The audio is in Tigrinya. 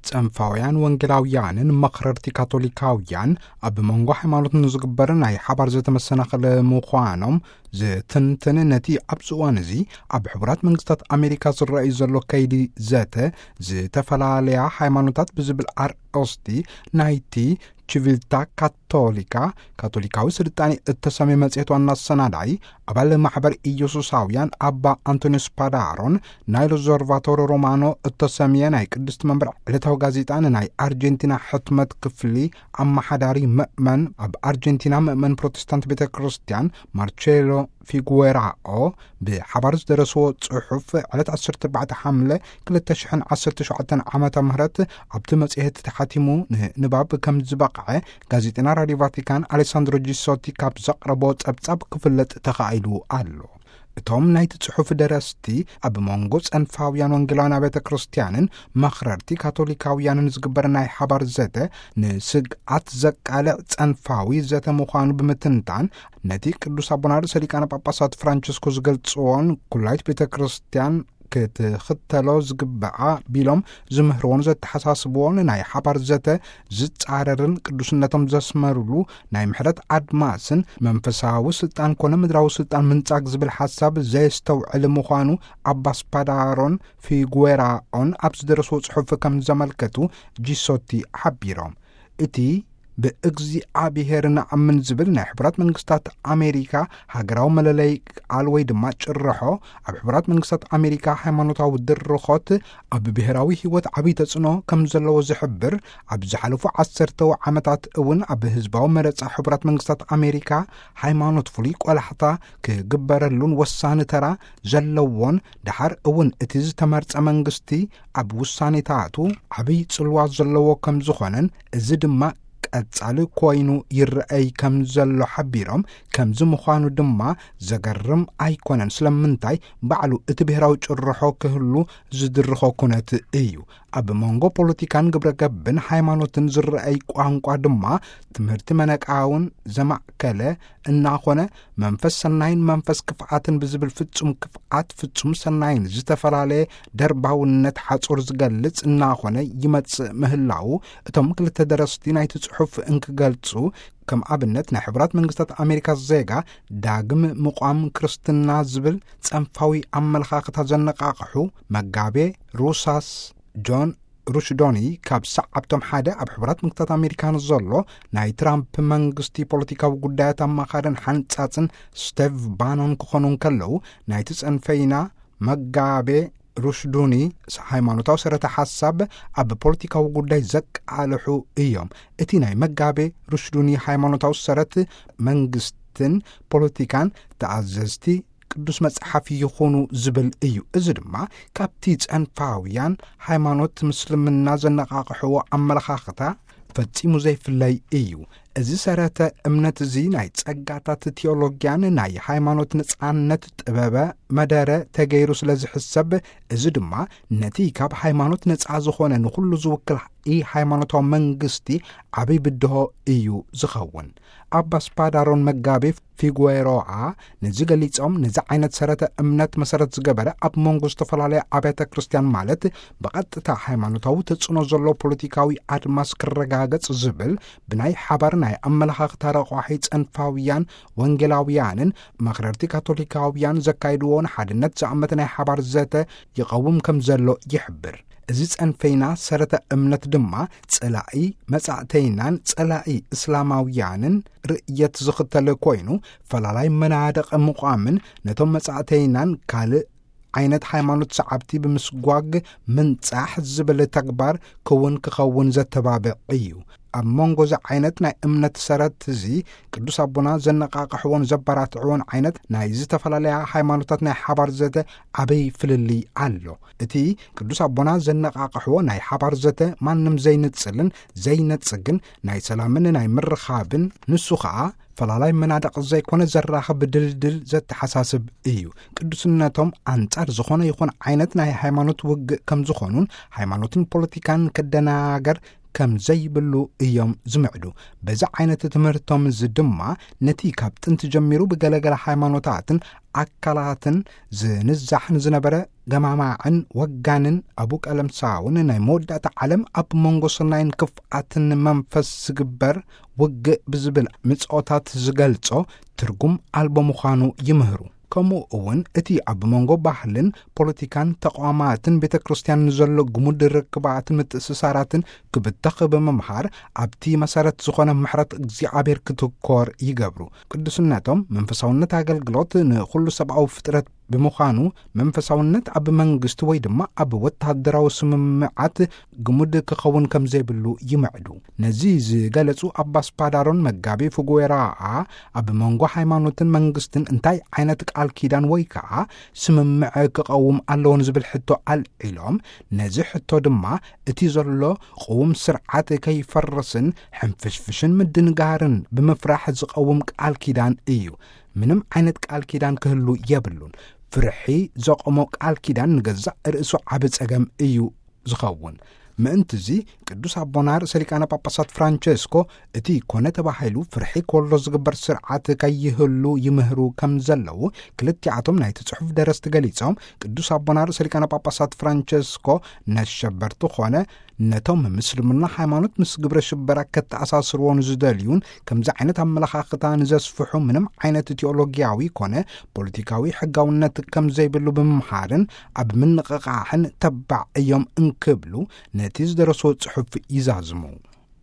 ጸንፋውያን ወንጌላውያንን መኽረርቲ ካቶሊካውያን ኣብ መንጎ ሃይማኖት ንዝግበር ናይ ሓባር ዘተመሰናኽል ምዃኖም ዝትንትን፣ ነቲ ኣብዚ እዋን እዚ ኣብ ሕቡራት መንግስታት ኣሜሪካ ዝረኣዩ ዘሎ ከይዲ ዘተ ዝተፈላለያ ሃይማኖታት ብዝብል ኣርእስቲ ናይቲ ቺቪልታ ካቶሊካ፣ ካቶሊካዊ ስልጣኔ እተሰምየ መጽሔት ዋና ኣሰናዳኢ፣ ኣባል ማሕበር ኢየሱሳውያን ኣባ ኣንቶኒዮስ ፓዳሮን፣ ናይ ሎዘርቫቶሮ ሮማኖ እተሰምየ ናይ ቅድስቲ መንበር ዕለታዊ ጋዜጣ ንናይ ኣርጀንቲና ሕትመት ክፍሊ ኣመሓዳሪ ምእመን፣ ኣብ ኣርጀንቲና ምእመን ፕሮቴስታንት ቤተ ክርስቲያን ማርቼሎ ፊጉዌራኦ ብሓባር ዝደረስዎ ጽሑፍ፣ ዕለት ዓሰርተ ኣርባዕተ ሓምለ ክልተ ሽሕን ዓሰርተ ሸውዓተን ዓመተ ምህረት ኣብቲ መጽሔት ተሓቲሙ ንንባብ ከም ዝበቕዐ ጋዜጠና ራድዮ ቫቲካን ኣሌሳንድሮ ጂሶቲ ካብ ዘቕረቦ ጸብጻብ ክፍለጥ ተኻኢሉ ኣሎ። እቶም ናይቲ ጽሑፍ ደረስቲ፣ ኣብ መንጎ ጸንፋውያን ወንጌላውያን ኣብያተ ክርስቲያንን መኽረርቲ ካቶሊካውያንን ዝግበር ናይ ሓባር ዘተ፣ ንስግኣት ዘቃልዕ ጸንፋዊ ዘተ ምዃኑ ብምትንታን፣ ነቲ ቅዱስ ኣቦና ርእሰ ሊቃነ ጳጳሳት ፍራንቸስኮ ዝገልጽዎን ኩላይት ቤተ ክርስቲያን ክትኽተሎ ዝግብኣ ቢሎም ዝምህርዎን ዘተሓሳስብዎን ናይ ሓባር ዘተ ዝጻረርን ቅዱስነቶም ዘስመሩሉ ናይ ምሕረት ኣድማስን መንፈሳዊ ስልጣን ኮነ ምድራዊ ስልጣን ምንጻግ ዝብል ሓሳብ ዘየስተውዕል ምዃኑ ኣባ ስፓዳሮን ፊጉዌራኦን ኣብ ዝደረስዎ ጽሑፍ ከም ዘመልከቱ ጂሶቲ ሓቢሮም። እቲ ብእግዚኣብሔር ንኣምን ዝብል ናይ ሕቡራት መንግስታት ኣሜሪካ ሃገራዊ መለለይ ቃል ወይ ድማ ጭርሖ፣ ኣብ ሕቡራት መንግስታት ኣሜሪካ ሃይማኖታዊ ድርኾት ኣብ ብሔራዊ ህይወት ዓብዪ ተጽዕኖ ከም ዘለዎ ዝሕብር፣ ኣብ ዝሓለፉ ዓሰርተው ዓመታት እውን ኣብ ህዝባዊ መረጻ ሕቡራት መንግስታት ኣሜሪካ ሃይማኖት ፍሉይ ቆላሕታ ክግበረሉን ወሳኒ ተራ ዘለዎን፣ ደሓር እውን እቲ ዝተመርጸ መንግስቲ ኣብ ውሳኔታቱ ዓብይ ጽልዋ ዘለዎ ከም ዝኾነን፣ እዚ ድማ ቀጻሊ ኮይኑ ይረኣይ ከም ዘሎ ሓቢሮም፣ ከምዚ ምዃኑ ድማ ዘገርም ኣይኮነን፣ ስለምንታይ ባዕሉ እቲ ብሔራዊ ጭርሖ ክህሉ ዝድርኾ ኩነት እዩ። ኣብ መንጎ ፖለቲካን ግብረ ገብን ሃይማኖትን ዝረኣይ ቋንቋ ድማ ትምህርቲ መነቃውን ዘማእከለ እናኾነ፣ መንፈስ ሰናይን መንፈስ ክፍኣትን ብዝብል ፍጹም ክፍኣት ፍጹም ሰናይን ዝተፈላለየ ደርባውነት ሓጹር ዝገልጽ እናኾነ ይመጽእ ምህላዉ እቶም ክልተ ደረስቲ ናይቲ ጽሑፍ እንክገልጹ፣ ከም ኣብነት ናይ ሕቡራት መንግስታት ኣሜሪካ ዜጋ ዳግም ምቋም ክርስትና ዝብል ጸንፋዊ ኣመለኻኽታ ዘነቃቕሑ መጋቤ ሩሳስ ጆን ሩሽዶኒ፣ ካብ ሰዓብቶም ሓደ ኣብ ሕቡራት መንግስታት ኣሜሪካ ንዘሎ ናይ ትራምፕ መንግስቲ ፖለቲካዊ ጉዳያት ኣማኻርን ሓንጻጽን ስቴቭ ባኖን ክኾኑ እንከለዉ፣ ናይቲ ጸንፈይና መጋቤ ሩሽዱኒ ሃይማኖታዊ ሰረተ ሓሳብ ኣብ ፖለቲካዊ ጉዳይ ዘቃልሑ እዮም። እቲ ናይ መጋቤ ሩሽዱኒ ሃይማኖታዊ ሰረት መንግስትን ፖለቲካን ተኣዘዝቲ ቅዱስ መጽሓፍ ይኹኑ ዝብል እዩ። እዚ ድማ ካብቲ ጸንፋውያን ሃይማኖት ምስልምና ዘነቃቕሕዎ ኣመለኻኽታ ፈጺሙ ዘይፍለይ እዩ። እዚ ሰረተ እምነት እዚ ናይ ጸጋታት ቲዮሎጊያን ናይ ሃይማኖት ነጻነት ጥበበ መደረ ተገይሩ ስለ ዝሕሰብ፣ እዚ ድማ ነቲ ካብ ሃይማኖት ነጻ ዝኾነ ንኹሉ ዝውክል ኢ ሃይማኖታዊ መንግስቲ ዓብይ ብድሆ እዩ ዝኸውን። ኣባ ስፓዳሮን መጋቤ ፊጉዌሮኣ ነዚ ገሊጾም፣ ነዚ ዓይነት ሰረተ እምነት መሰረት ዝገበረ ኣብ መንጎ ዝተፈላለያ ኣብያተ ክርስቲያን፣ ማለት ብቐጥታ ሃይማኖታዊ ተጽዕኖ ዘሎ ፖለቲካዊ ኣድማስ ክረጋገጽ ዝብል ብናይ ሓባር ናይ ኣመለኻኽታ ረቋሒ ጸንፋውያን ወንጌላውያንን መኽረርቲ ካቶሊካውያን ዘካይድዎ ንሓድነት ዝኣመተ ናይ ሓባር ዘተ ይቐውም ከም ዘሎ ይሕብር። እዚ ጸንፈይና ሰረተ እምነት ድማ ጸላኢ መጻእተይናን ጸላኢ እስላማውያንን ርእየት ዝኽተል ኮይኑ፣ ፈላላይ መናድቕ ምቋምን ነቶም መጻእተይናን ካልእ ዓይነት ሃይማኖት ሰዓብቲ ብምስጓግ ምንጻሕ ዝብል ተግባር ክውን ክኸውን ዘተባብዕ እዩ። ኣብ መንጎ እዚ ዓይነት ናይ እምነት ሰረት እዚ ቅዱስ ኣቦና ዘነቃቕሕዎን ዘበራትዕዎን ዓይነት ናይ ዝተፈላለያ ሃይማኖታት ናይ ሓባር ዘተ ዓብይ ፍልልይ ኣሎ። እቲ ቅዱስ ኣቦና ዘነቃቕሕዎ ናይ ሓባር ዘተ ማንም ዘይንጽልን ዘይነጽግን ናይ ሰላምን ናይ ምርኻብን፣ ንሱ ኸኣ ፈላላይ መናድቕ ዘይኮነ ዘራኽብ ድልድል ዘተሓሳስብ እዩ። ቅዱስነቶም ኣንጻር ዝኾነ ይኹን ዓይነት ናይ ሃይማኖት ውግእ ከም ዝኾኑን ሃይማኖትን ፖለቲካን ክደናገር ከም ዘይብሉ እዮም ዝምዕዱ። በዚ ዓይነት ትምህርቶም እዚ ድማ ነቲ ካብ ጥንቲ ጀሚሩ ብገለገለ ሃይማኖታትን ኣካላትን ዝንዛሕን ዝነበረ ገማማዕን ወጋንን ኣቡ ቀለምሳውን ናይ መወዳእታ ዓለም ኣብ መንጎ ሰናይን ክፍኣትን መንፈስ ዝግበር ውግእ ብዝብል ምጽኦታት ዝገልጾ ትርጉም ኣልቦ ምዃኑ ይምህሩ። ከምኡ እውን እቲ ኣብ መንጎ ባህልን ፖለቲካን ተቋማትን ቤተ ክርስቲያን ንዘሎ ግሙድ ርክባትን ምትእስሳራትን ክብተኽ ብምምሃር ኣብቲ መሰረት ዝኾነ ምሕረት እግዚኣብሔር ክትኮር ይገብሩ። ቅዱስነቶም መንፈሳውነት ኣገልግሎት ንኹሉ ሰብኣዊ ፍጥረት ብምዃኑ መንፈሳውነት ኣብ መንግስቲ ወይ ድማ ኣብ ወታደራዊ ስምምዓት ግሙድ ክኸውን ከም ዘይብሉ ይምዕዱ። ነዚ ዝገለጹ ኣባስ ፓዳሮን መጋቢ ፍጉዌራኣ ኣብ መንጎ ሃይማኖትን መንግስትን እንታይ ዓይነት ቃል ኪዳን ወይ ከዓ ስምምዕ ክቐውም ኣለዎ ንዝብል ሕቶ ኣልዒሎም፣ ነዚ ሕቶ ድማ እቲ ዘሎ ቅውም ስርዓት ከይፈርስን ሕንፍሽፍሽን ምድንጋርን ብምፍራሕ ዝቐውም ቃል ኪዳን እዩ። ምንም ዓይነት ቃል ኪዳን ክህሉ የብሉን። ፍርሒ ዘቆሞ ቃል ኪዳን ንገዛእ ርእሱ ዓቢ ጸገም እዩ ዝኸውን። ምእንትዚ ቅዱስ ኣቦና ርእሰ ሊቃነ ጳጳሳት ፍራንቸስኮ እቲ ኮነ ተባሂሉ ፍርሒ ኮሎ ዝግበር ስርዓት ከይህሉ ይምህሩ ከም ዘለዉ ክልቲኣቶም ናይቲ ጽሑፍ ደረስቲ ገሊጾም፣ ቅዱስ ኣቦና ርእሰ ሊቃነ ጳጳሳት ፍራንቸስኮ ነሸበርቲ ኮነ ነቶም ምስልምና ሃይማኖት ምስ ግብረ ሽበራ ከተኣሳስርዎ ንዝደልዩን ከምዚ ዓይነት ኣመለኻኽታ ንዘስፍሑ ምንም ዓይነት ቲኦሎጊያዊ ኮነ ፖለቲካዊ ሕጋውነት ከም ዘይብሉ ብምምሃርን ኣብ ምንቕቓሕን ተባዕ እዮም እንክብሉ ነቲ ዝደረስዎ ጽሑፍ ይዛዝሙ።